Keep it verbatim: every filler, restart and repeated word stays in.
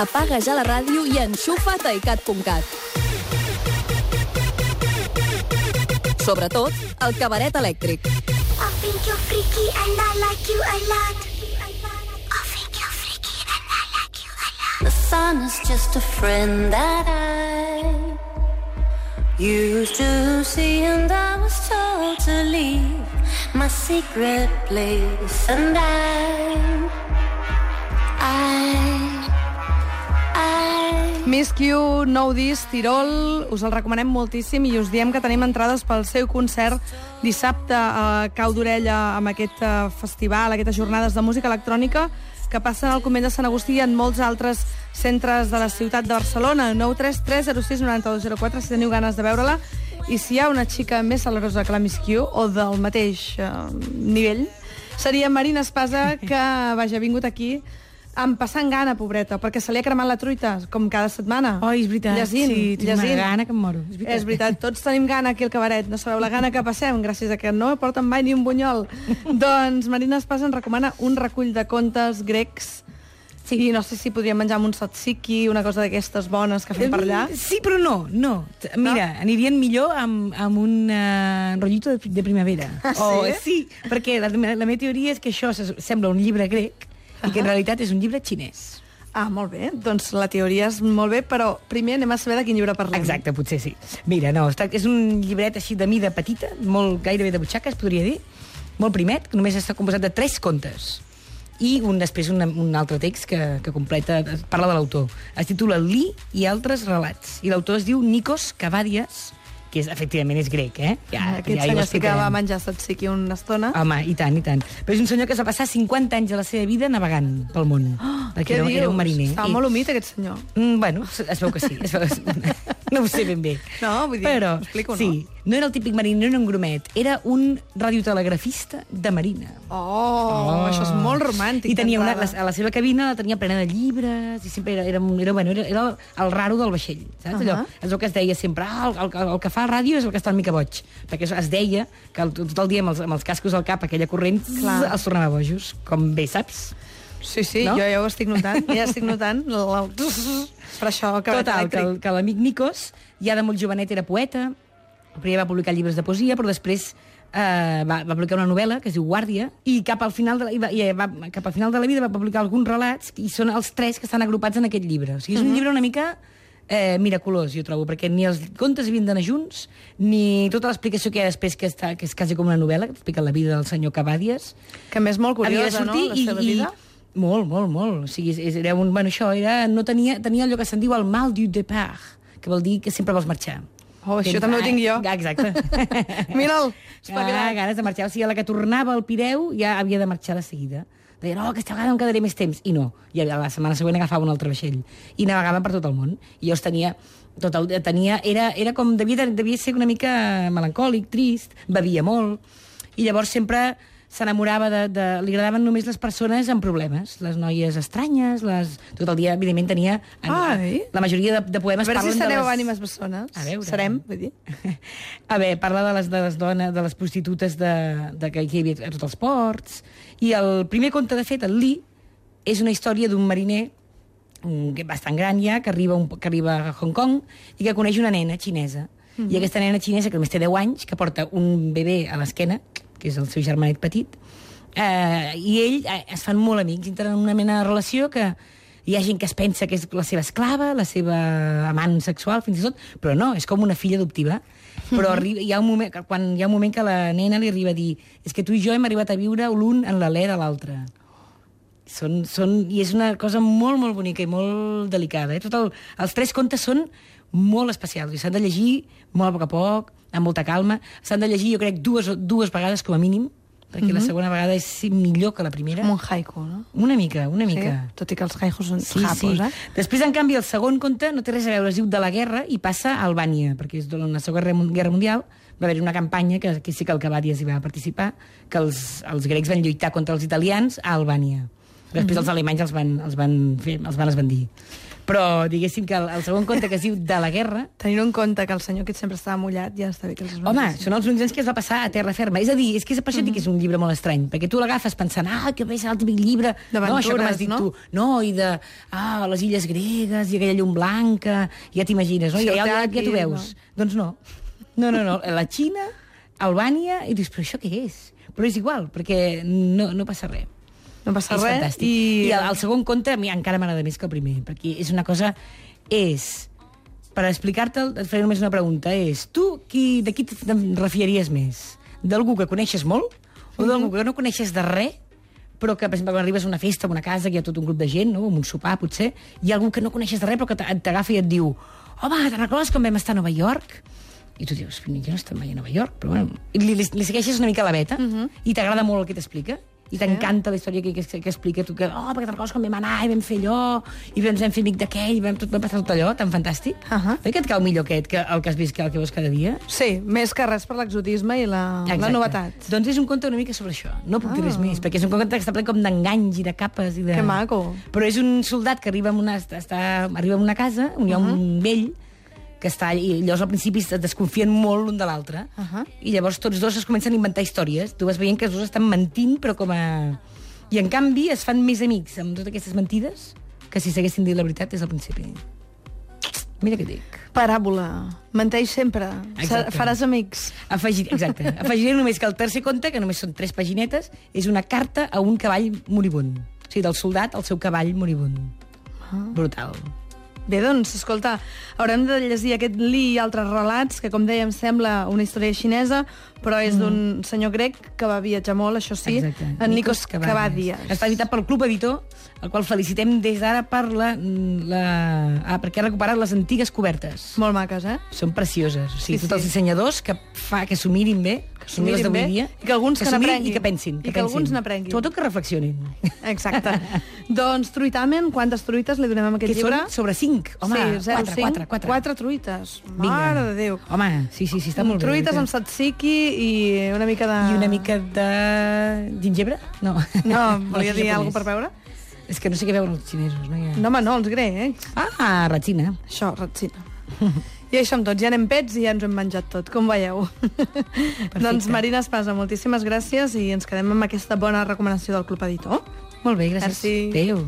Apaga ja la ràdio i enxufa't a icat punt cat. Sobretot, el cabaret elèctric. I think you're freaky and I like you a lot. I think you're freaky and I like you a lot. The sun is just a friend that I used to see, and I was told to leave my secret place, and I I Miss Q, nou disc, Tirol, us el recomanem moltíssim i us diem que tenim entrades pel seu concert dissabte a Cau d'Orella amb aquest festival, aquestes jornades de música electrònica que passen al Convent de Sant Agustí i en molts altres centres de la ciutat de Barcelona. Nou tres tres zero sis nou dos zero quatre si teniu ganes de veure-la. I si hi ha una xica més salerosa que la Miss Q o del mateix eh, nivell, seria Marina Espasa, que vaja, ha vingut aquí em passant gana, pobreta, perquè se li ha cremat la truita, com cada setmana. Oh, és veritat. Llegint, sí, tinc llegint. una gana que em moro. És veritat. És veritat, tots tenim gana aquí al cabaret. No sabeu la gana que passem, gràcies a que no porten mai ni un bunyol. Doncs Marina Espasa ens recomana un recull de contes grecs. Sí. I no sé si podríem menjar amb un tzatziki, una cosa d'aquestes bones que fem per allà. Sí, però no, no. Mira, no? Anirien millor amb, amb un uh, rotllito de, de primavera. Ah, sí? Oh, sí, perquè la, la meva teoria és que això sembla un llibre grec i que en realitat és un llibre xinès. Ah, molt bé. Doncs la teoria és molt bé, però primer anem a saber de quin llibre parlem. Exacte, potser sí. Mira, no, és un llibret així de mida petita, molt gairebé de butxaca, es podria dir, molt primet, que només està composat de tres contes. I un, després un, un altre text que, que completa, parla de l'autor. Es titula Li i altres relats. I l'autor es diu Nikos Kavadias, que és, efectivament és grec, eh? Ja, Aquest ja senyor sí que va menjar tzatziki una estona. Home, i tant, i tant. Però és un senyor que es va passar cinquanta anys de la seva vida navegant pel món. Oh, què era, dius? Era un mariner. Estava I... molt humit, aquest senyor. Mm, bueno, es veu que sí. Es veu que sí. No ho sé ben bé. No, vull dir, però, explico, no? Sí, no era el típic mariner, no era un grumet. Era un radiotelegrafista de marina. Oh, oh. Això és molt romàntic. I tenia una, la, a la seva cabina la tenia plena de llibres, i sempre era, era, era, bueno, era, era el raro del vaixell, saps? Uh -huh. Allò, és el que es deia sempre, ah, el, el, el que fa ràdio és el que està una mica boig, perquè es deia que el, tot el dia amb els, amb els cascos al cap, aquella corrent, zzz, els tornava bojos, com bé saps. Sí, sí, no? jo ja ho estic notant, ja estic notant. Per això que Total, que, que l'amic Nikos, ja de molt jovenet era poeta, primer va publicar llibres de poesia, però després eh, va, va publicar una novel·la que es diu Guàrdia, i cap al final de la, i va, i va, cap al final de la vida va publicar alguns relats, i són els tres que estan agrupats en aquest llibre. O sigui, és un uh -huh. llibre una mica eh, miraculós, jo trobo, perquè ni els contes havien d'anar junts, ni tota l'explicació que hi ha després, que, està, que és quasi com una novel·la, que explica la vida del senyor Cavadias. Que a més molt curiosa, no?, la seva i, vida. I, molt, molt, molt. O sigui, era un, bueno, això era, no tenia, tenia allò que se'n diu el mal du départ, que vol dir que sempre vols marxar. Oh, això Tens, també ho tinc jo. Exacte. Mira'l, ah, ganes de marxar. O sigui, a la que tornava al Pireu ja havia de marxar de seguida. Deia, no, aquesta vegada em quedaré més temps. I no. I la setmana següent agafava un altre vaixell. I navegava per tot el món. I jo els tenia... Tot el, tenia era, era com... Devia, devia ser una mica melancòlic, trist, bevia molt. I llavors sempre s'enamorava de, de... Li agradaven només les persones amb problemes. Les noies estranyes, les... Tot el dia, evidentment, tenia... Ai. La majoria de, de poemes parlen de les... A veure si sereu les... ànimes bessones. A veure. Serem, vull dir. A veure, parla de les, de les dones, de les prostitutes de, de que hi havia a tots els ports. I el primer conte, de fet, el Li, és una història d'un mariner bastant gran ja, que arriba, un, que arriba a Hong Kong i que coneix una nena xinesa. Mm-hmm. I aquesta nena xinesa, que només té deu anys, que porta un bebè a l'esquena, que és el seu germanet petit, eh, i ell eh, es fan molt amics, entren en una mena de relació que hi ha gent que es pensa que és la seva esclava, la seva amant sexual, fins i tot, però no, és com una filla adoptiva. Però arriba, hi ha un moment, quan hi ha un moment que la nena li arriba a dir és que tu i jo hem arribat a viure l'un en l'alè de l'altre. Són, són, I és una cosa molt, molt bonica i molt delicada. Eh? Tot el, els tres contes són molt especials i s'han de llegir molt a poc a poc, amb molta calma. S'han de llegir, jo crec, dues, dues vegades com a mínim, perquè mm-hmm. la segona vegada és millor que la primera. Com un haiku, no? Una mica, una mica. Sí? Tot i que els haikus són sí, japos, sí. eh? Després, en canvi, el segon conte no té res a veure, es diu De la guerra i passa a Albània, perquè és durant la Segona Guerra Mundial va haver una campanya, que, que sí que el Cavadias hi va participar, que els, els grecs van lluitar contra els italians a Albània. Després mm-hmm. els alemanys els van, els van, fer, els van esbandir. Però diguéssim que el, el segon conte, que es diu De la guerra... Tenint en compte que el senyor aquest sempre estava mullat, ja està bé que els esmorzis. Home, són els onze anys que es va passar a terra ferma. És a dir, és que és per això dic que és un llibre molt estrany, perquè tu l'agafes pensant, ah, que bé serà el típic llibre... No, això que m'has dit no? tu. No, i de, ah, les illes gregues, i aquella llum blanca, ja t'imagines, no? I ja, ja, ja t'ho veus. No. Doncs no. No, no, no. La Xina, Albània, i dius, però això què és? Però és igual, perquè no, no passa res. No passa és res. Fantàstic. I, I el, el segon conte a mi encara m'agrada més que el primer, perquè és una cosa... És... Per explicar-te'l, et faré només una pregunta. És, tu qui, de qui te'n refiaries més? D'algú que coneixes molt? O d'algú que no coneixes de res, però que, per exemple, quan arribes a una festa, a una casa, que hi ha tot un grup de gent, no? Un sopar, potser, hi ha algú que no coneixes de res, però que t'agafa i et diu, home, te'n recordes quan vam estar a Nova York? I tu dius, jo no estic mai a Nova York, però bueno... I li, li, li segueixes una mica la veta, uh -huh. i t'agrada molt el que t'explica, i t'encanta la història que, que, que explica tu, que, oh, perquè te'n recordes quan vam anar i vam fer allò, i ens vam fer amic d'aquell, i vam, tot, vam passar tot allò, tan fantàstic. Uh -huh. Oi que et cau millor aquest, que el que has vist, que el que veus cada dia? Sí, més que res per l'exotisme i la, la novetat. Doncs és un conte una mica sobre això, no puc dir res més, perquè és un conte que està ple com d'enganys i de capes i de... Que maco. Però és un soldat que arriba a una, està, arriba a una casa on hi ha uh -huh. un vell que està allà, i llavors al principi es desconfien molt l'un de l'altre, uh -huh. i llavors tots dos es comencen a inventar històries. Tu vas veient que els dos estan mentint, però com a... I en canvi es fan més amics amb totes aquestes mentides que si s'haguessin dit la veritat des del principi. Mira què dic. Paràbola. Menteix sempre. Exacte. Faràs amics. Afegir, exacte. Afegiré només que el tercer conte, que només són tres paginetes, és una carta a un cavall moribund. O sigui, del soldat al seu cavall moribund. Ah. Brutal. Bé, doncs, escolta, haurem de llegir aquest Li i altres relats, que, com dèiem, sembla una història xinesa, però és mm. d'un senyor grec que va viatjar molt, això sí, exacte. en Nikos Kavadias. Està editat pel Club Editor, el qual felicitem des d'ara per la, la... Ah, perquè ha recuperat les antigues cobertes. Molt maques, eh? Són precioses. O sigui, sí, tots els dissenyadors que fa que s'ho mirin bé, que s'ho mirin bé, dia, i que alguns que, que n'aprenguin. I que pensin. Que I que pensin. alguns n'aprenguin. Sobretot que reflexionin. Exacte. Doncs, truitamen, quantes truites li donem a aquest que llibre? Que són sobre cinc. Home, sí, zero, quatre, cinc, quatre, quatre. Quatre truites. Vinga. Mare de Déu. Home, sí, sí, sí, està molt truites bé. Truites amb tzatziki i una mica de... I una mica de... gingebre? No. No, volia dir alguna cosa per veure? És que no sé què veuen els xinesos, no? Ja... No, home, no, els grecs. Ah, ratzina. Això, ratzina. I això amb tots, ja anem pets i ja ens ho hem menjat tot, com veieu. Doncs Marina Espasa, moltíssimes gràcies i ens quedem amb aquesta bona recomanació del Club Editor. Molt bé, gràcies. Merci. Adéu.